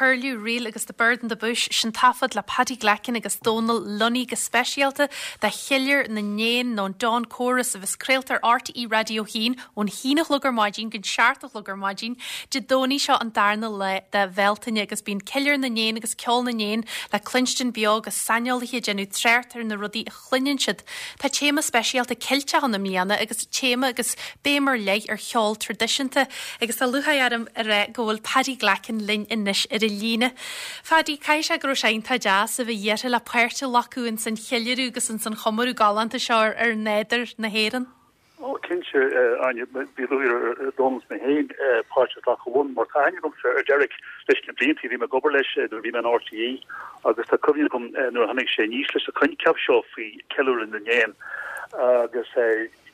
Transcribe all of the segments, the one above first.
Curlew Reel agus The Bird in the Bush, sin taifead le Paddy Glackin agus Dónal Lunny go speisialta do Cheiliúradh na nÉan nó an Dawn Chorus a bheas craolta ar RTÉ Raidió 1 ón haon a chlog ar maidin go seacht a chlog ar maidin Dé Domhnaigh seo an darna lá de Bhealtaine agus bíonn Ceiliúradh na nÉan agus Ceol na nÉan le cluinstin beo agus saineolaithe ag déanamh trácht ar na rudaí a chluineann siad. Tá téama speisialta Ceilteach ann i mbliana agus téama agus béim ar leith ar cheol traidisiúnta agus tá lúcháir orm a rá go bhfuil Paddy Glackin linn anois ar an líne. Phaddy, caithfidh sé go raibh sé iontach deas a bheith iarrtha le páirt a ghlacadh ins an cheiliúradh agus ins an chomóradh galánta seo ar nádúr na hÉireann. Ó, cinnte, Áine, bhí lúcháir ar Dónal is mé féin páirt a ghlacadh ann, mar tá aithne agamsa ar Derek leis na blianta, bhí mé ag obair leis nuair a bhí mé in RTÉ agus tá cuimhne agam nuair a tháinig sé aníos leis an choincheap seo faoi Ceiliúradh na nÉan agus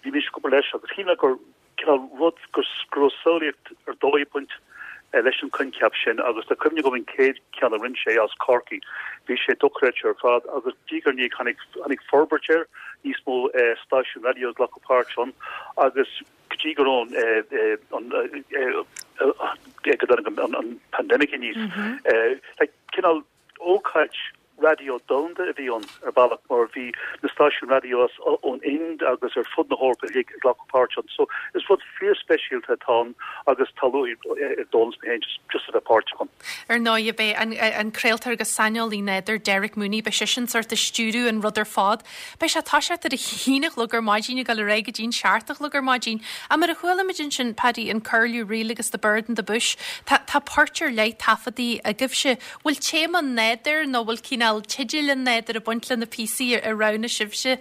bhí mise ag obair leis agus shíl mé gur cineál rud go raibh samhlaíocht ar dóigh ag baint leis an choincheap sin agus tá cuimhne agam an chéad cheann a rinne sé as Corcaigh, bhí sé dochreidte ar fad agus diaidh ar ndiaidh tháinig, tháinig forbairt air, níos mó stáisiún raidió ag glacadh páirt ann agus go dtí go raibh an, go dtáinig an pandemic aníos, like cineál ócáid raidió domhanda a bhí ann ar bhealach mar bhí na stáisiúin raidió as ón Ind agus ar fud na hEorpa uilig ag glacadh páirt ann. So is rud fíorspeisialta atá ann agus tá lúcháir ar Dónal is mé féin just just a bheith páirteach ann. Ar ndóigh, beidh an an craoltóir agus saineolaí nádúir Derek Mooney, beidh seisean sórt ag stiúradh an rud ar fad. Beidh sé ag toiseacht ar a haon a chlog ar maidin ag dul ar aghaidh go dtí'n seacht a chlog ar maidin. Ach mar a chuala muid ansin, Paddy, an Curlew Reel agus The Bird in the Bush, tá tá poirt ar leith taifeadtaí agaibhse. Bhfuil téama an nádúir nó bhfuil cineál teideal an nádúir ag baint le na píosaí a roghnaigh sibhse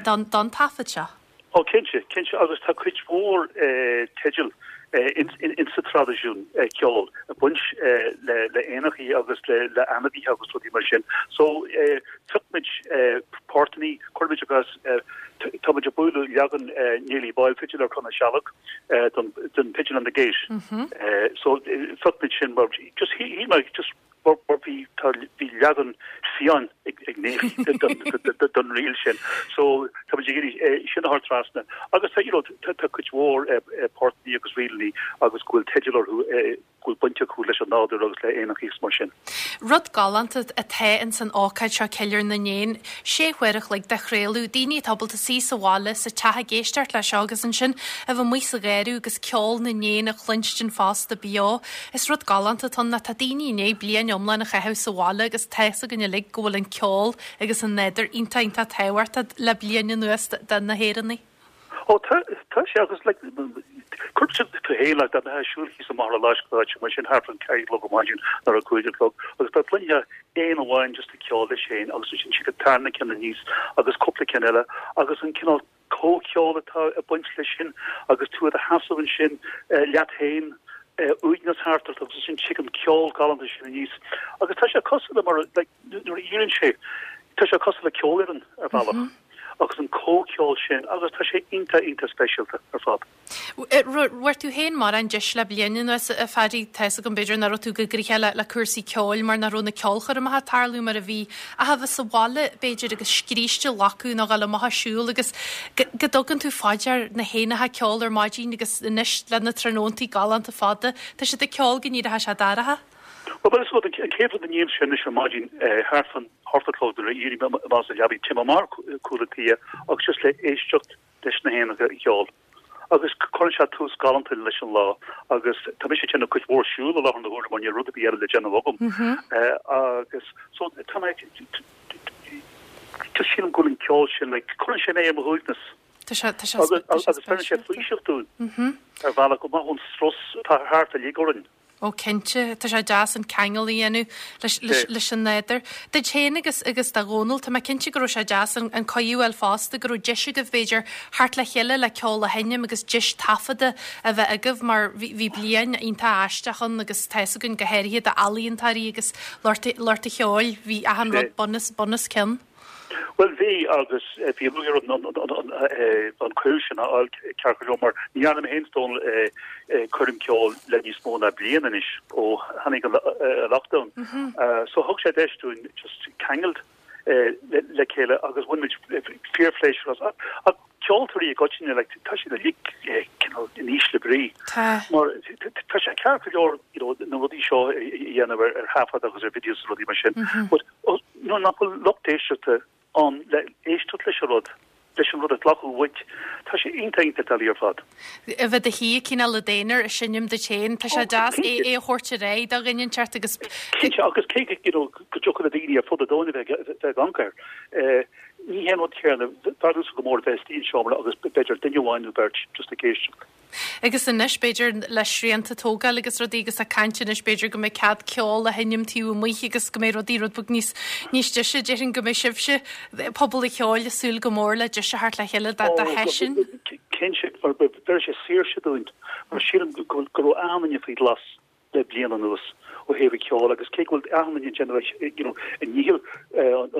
don don taifead seo? Ó cinnte, cinnte agus tá cuid mhór teideal in sa traidisiún ceoil ag baint le le éanachaí agus le le ainmhithe agus rudaí mar sin. So phioc muid portannaí, chuir muid agus tá muid ag bualadh leagan Neilí Boyle Fidil ar Chrann na Sealg don don Pigeon on the Gate. So phioc muid sin mar just shíl mé just mar bhí tá bhí leagan fiáin ag ag Neilí don ríl sin. So tá muid ag iarraidh sin a chur trasna. Agus tá you know tá tá cuid mhór portannaí agus ríleannaí agus go bhfuil teideal orthu go bhfuil baint acu leis an nádúr agus le éanachaí is mar sin. Rud galánta atá ins an ócáid seo, Ceiliúradh na nÉan, sé huair a chloig de chraoladh, daoine atá ábalta suí sa bhaile, sa teach ag éisteacht le seo agus ansin a bheith amuigh sa gharradh agus ceol na n-éan a chluinstin fosta beo. Is rud galánta atá ann nó tá daoine i ndiaidh bliain iomlán a chaitheamh sa bhaile agus tá fhios againn uilig go bhfuil an ceol agus an nádúr iontach iontach tábhachtach le bliain anuas do na hÉireannaigh. Ó tá, tá sé agus like cuir tú féin like dá mbeifeá ag siúl thíos an Machaire Fhláisc nó áit mar sin thart fán 4 a chlog ar maidin nó ar a 5 a chlog agus dá gcluinfeá éan amháin just ag ceol leis féin agus ansin tiocfaidh an tarna ceann aníos agus cúpla ceann eile agus an cineál comhcheol atá ag baint leis sin agus tú i do sheasamh ansin leat féin uaigneas thart ort agus ansin tig an ceol galánta sin aníos agus tá sé cosúil le mar like nuair a éiríonn sé, tá sé cosúil le ceolfhoireann ar bhealach agus an comhcheol sin agus tá sé iontach, iontach speisialta ar fad. Bhfuair tú féin mórán deis le bliain anuas, a Phaddy, tá fhios agam b'fhéidir nach raibh tú go gnoitheach le, le cúrsaí ceoil mar nach raibh na ceolchoirmeacha ag tarlú mar a bhí, ach a bheith sa bhaile b'fhéidir agus scríste a ghlacadh nó dhul amach ag siúl agus go, go dtugann tú fá dear na héanacha ag ceol ar maidin agus anois le na tráthnóntaí galánta fada, tá siad ag ceol go n-éireoidh sé dorcha. Bhuel, is rud, an chéad rud a nímse anois ar maidin, thart fán hocht a chlog nuair a éirím amach as an leabaidh, téim amach cúl an tí agus just le éisteacht leis na héanacha ag ceol. Agus cuireann sé tús galánta leis an lá agus tá mise ag déanamh cuid mhór siúl i láthair na huaire mar níl rud ar bith eile le déanamh agam. Agus so tá mé, just sílim go bhfuil an ceol sin, like, cuireann sé mé ar mo shuaimhneas. Tá sé, tá sé, tá sé Agus beireann sé faoiseamh dúinn ar bhealach amach ón strus atá thart uilig orainn. Ó cinnte, tá sé deas an ceangal a dhéanamh leis, leis, leis an nádúr. Duit féin agus, agus do Dhónal, tá mé cinnte go raibh sé deas an, an cuireadh a fháil fosta, go raibh deis agaibh b'fhéidir theacht le chéile le ceol a sheinm agus deis taifeadta a bheith agaibh mar bhí, bhí bliain iontach aisteach ann agus tá fhios againn go háirithe d'ealaíontóirí agus lucht, lucht an cheoil, bhí achan rud bun os, bun os cionn. Bhuel bhí agus bhí lúcháir orm an cuireadh sin a fháil ceart go leor mar ní dhearna mé féin is Dónal coirm ceoil le níos mó ná bliain anois ó tháinig an lockdown. So thug sé deis dúinn just ceangal le chéile agus bhain muid fíorphléisiúr as. Ach. ceoltóirí i gcoitinne, like, tá siad uilig cineál in ísle brí. Tá. Mar tá sé ceart go leor, you know, na rudaí seo a dhéanamh ar ar thaifead agus ar videos agus rudaí mar sin. But nuair nach bhfuil lucht éisteachta ann le éisteacht leis an rud, leis an rud a ghlacadh uait, tá sé iontach iontach doiligh ar fad. A bheith i do shuí cineál i d'aonar ag seinm duit féin, tá sé deas é a thabhairt ar aghaidh do dhuine inteacht agus. Cinnte, agus cé go, you know, go dtiocfadh le daoine ar fud an domhain a bheith ag amharc air, ní hé an rud céanna, b'fhearr domhsa go mór a bheith istigh i seomra agus b'fhéidir duine amháin nó beirt just ag éisteacht. Agus anois, b'fhéidir, le srianta a tógáil agus rudaí agus ag caint anois, b'fhéidir go mbeidh cead ceol a sheinm taobh amuigh agus go mbeidh rudaí rud beag níos, níos deise. Déarfainn go mbeidh sibhse, pobal an cheoil, ag súil go mór le deis a theacht le chéile do do sheisiún. Cinnte, mar bheir sé saoirse dúinn, mar sílim go go raibh achan duine faoi ghlas. le bliain anuas ó thaobh an cheoil agus cé go bhfuil achan duine ag déanamh you know a ndícheall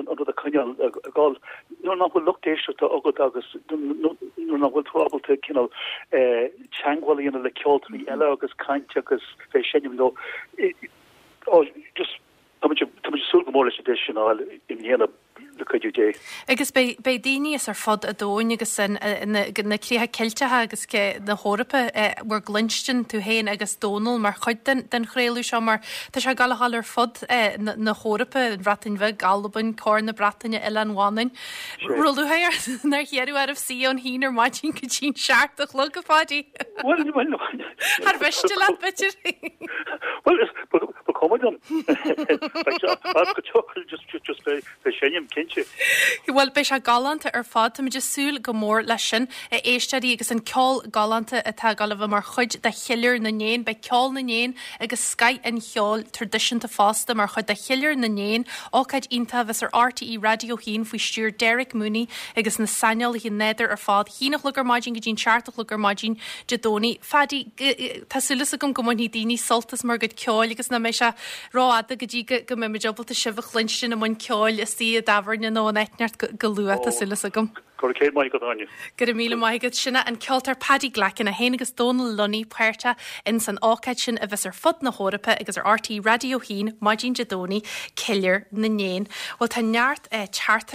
an rud a choinneáil ag dul, nuair nach bhfuil lucht éisteachta agat agus nuair nach bhfuil tú ábalta cineál teagmháil a dhéanamh le ceoltóirí eile agus caint agus bheith ag seinm leo, just tá muid ag súil go mór leis an deis sin a fháil i mbliana. le cuidiú Dé. Agus beidh beidh daoine as ar fud an domhain agus na na críocha Ceilteacha agus na hEorpa bhur gcluinstin, tú féin agus Dónal mar chuid den den chraoladh seo mar tá sé ag gabháil a dhul ar fud na hEorpa, an Bhreatain Bheag, Albain, Corn na Breataine, Oileán Mhanainn. Raibh lúcháir ort nár hiarradh oraibh suí ón haon ar maidin go dtí'n seacht a chlog, a Pháidí? Bhuel, bhuel, Thar mhiste leat, b'fhéidir? Bhuel, ba chuma liom. As go tiocfaidh just just beidh seinm, cinnte. Bhuel, beidh sé galánta ar fad. Táimid ag súil go mór leis sin, a éisteoirí, agus an ceol galánta atá ag dul a bheith mar chuid de Cheiliúradh na nÉan. Beidh ceol na n-éan agus scoth an cheoil traidisiúnta fosta mar chuid de Cheiliúradh na nÉan, ócáid iontach a bheas ar RTÉ Raidió 1 faoi stiúir Derek Mooney agus na saineolaithe nádúir ar fad. Haon a chlog ar maidin go dtí'n seacht a chlog ar maidin Dé Domhnaigh. Phaddy, tá súil agam go mbainfidh daoine sult as bhur gcuid ceoil agus nach mbeidh sé rófhada go dtí go mbeidh muid ábalta sibh a chluinstin i mbun ceoil istigh i dtábhairne nó in áit inteacht go luath, tá súil agam. Go raibh céad maith agat, Áine. Go raibh míle maith agat. Sin é an ceoltóir Paddy Glackin, é féin agus Dónal Lunny páirteach ins an ócáid sin a bheas ar fud na hEorpa agus ar RTÉ Raidió 1 maidin Dé Domhnaigh, Ceiliúradh na nÉan. Bhuel tá neart teachtaireachtaí.